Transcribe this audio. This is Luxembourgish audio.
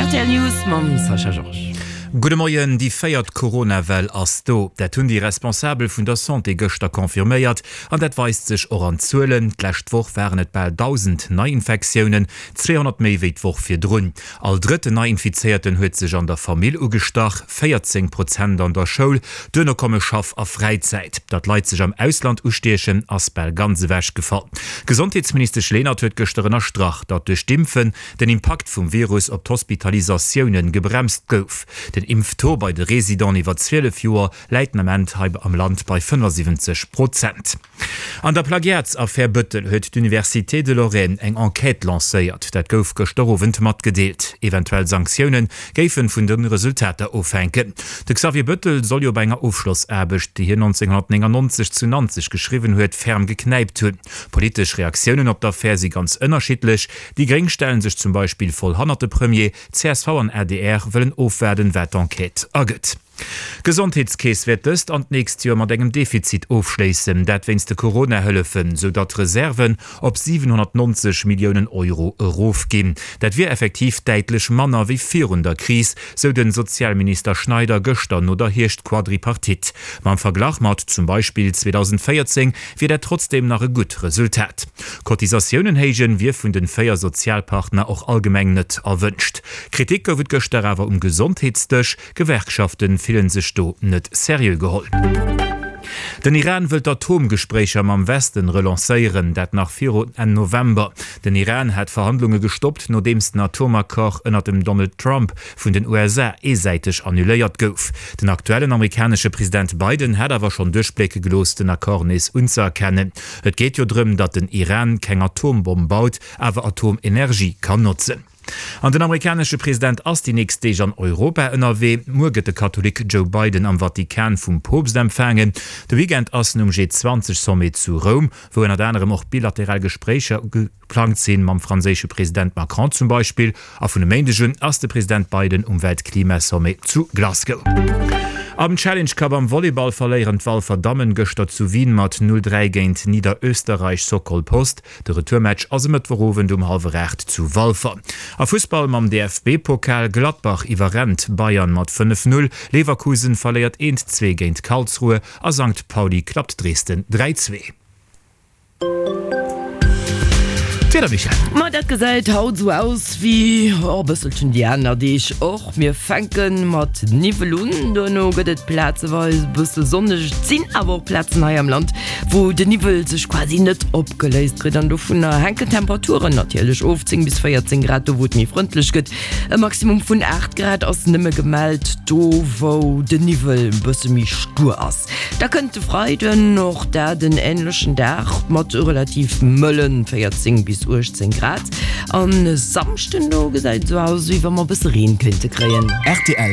D'RTL News mam Sascha Georges. Gudde Moien, Déi véiert Corona-Well ass do. Dat hunn déi Responsabel vun der Santé gëschter confirméiert. An dat weist sech och an Zuelen. D'lescht Woch waren et bal 1.000 Neiinfektiounen, 200 méi wéi d'Woch virdrun. All drëtten Neiinfizéierten huet sech an der Famill ugestach, 14 Prozent an der Schoul. Duerno komme Schaff a Fräizäit. Datt Leit sech am Ausland ustiechen, ass bal ganz ewechgefall. D'Gesondheetsministesch Lenert huet gëschter ënnerstrach, datt duerch d'Impfen den Impakt vum Virus op d'Hospitalisatioune gebremst gouf. Den Impftaux bei de Residenten iwwer 12 Joer läit den Ament hei am Land bei 75 Prozent. An der Plagiatsaffär Bëttel huet d'Université de Lorraine eng Enquête lancéiert. Dat gouf gëschter Owend matgedeelt. Eventuell Sanktioune géife vun de Resultater ofhänken. De Xavier Bëttel soll jo bei enger Ofschlossaarbecht, déi hien 1999 zu Nanzeg geschriwwen huet, ferm geknäipt hunn. Politesch Reaktiounen op d'Affär si ganz ënnerschiddlech. Déi Gréng stelle sech zum Beispill voll hannert de Premier, csv an adr wëllen ofwaarden, wat d'Enquête ergëtt. D'Gesondheetskeess wäert dëst an d'nächst Joer mat engem Defizit ofschléissen, dat wéinst de Corona-Hëllefen, sou datt d'Reserven op 790 Milliounen Euro erofginn. Dat wier effektiv däitlech manner wéi virun der Kris, sou de Sozialminister Schneider gëschter no der Hierscht-Quadripartite. Ma am Verglach mat zum Beispill 2014 wier dat trotzdeem nach e gutt Resultat. Cotisatiounen héijen wier vun den 4 Sozialpartner och allgemeng net erwënscht. Kritik gouf et gëschter awer um Gesondheetsdësch. Gewerkschaften fillen sech do net seriö geholl. Den Iran wëll d'Atomgespréicher mam Westen relancéieren, dat nach viru Enn November. Den Iran hat d'Verhandlunge gestoppt, nodeems den Atomaccord ënnert dem Donald Trump vun den USA eesäiteg annuléiert gouf. Den aktuellen amerikanesche President Biden hat awer schonn duerchblécke gelooss, den Accord nees unzëerkennen. Et geet jo drëm, datt den Iran keng Atombomm baut, awer Atomenergie kann notzen. An den amerikanesche President ass déi nächst Deeg an Europa ënnerwee. Muer gëtt de Katholik Joe Biden am Vatikan vum Poopst empfaangen. De Weekend ass en um G20-Sommet zu Roum, wou ënnert anerem och bilateral Gespréicher geplangt sinn, mam franséische President Macron zum Beispill. A vun e Méindeg un ass de President Biden um Weltklimasommet zu Glasgow. Am Challenge Cup am Volleyball verléieren d'Walfer Dammen gëschter zu Wien mat 0, 3 géint Niederösterreich Sokol Post. De Retourmatch ass e Mëttwochowend um hallwer 8 zu Walfer. A Fussball mam DFB-Pokal, Gladbach iwwerrennt Bayern mat 5, 0, Leverkusen verléiert 1, 2 géint Karlsruhe a Sankt Pauli klappt Dresden 3, 2. D'Wieder, Michèle? Ma dat gesäit haut esou aus wéi e bësselchen déi aner Deeg och. Mir fänke mat Niwwel un, duerno gëtt et plazeweis e bësse sonneg. Et sinn awer och Plazen hei am Land, wou de Niwwel sech quasi net opgeléist kritt an dovunner hänken d'Temperaturen natierlech of, 10 bis 14 Grad do wou et méi frëndlech gëtt, e Maximum vun 8 Grad ass nëmme gemellt do wou de Niwwel e bësse méi stuer ass. Da kënnt de Freiden, och dat en änlechen Dag mat relativ mëllen 14 bis 18 Grad an e Samschden do gesäit et esou aus wéi wa mer e bësse Reen kéinte kréien. Rtl.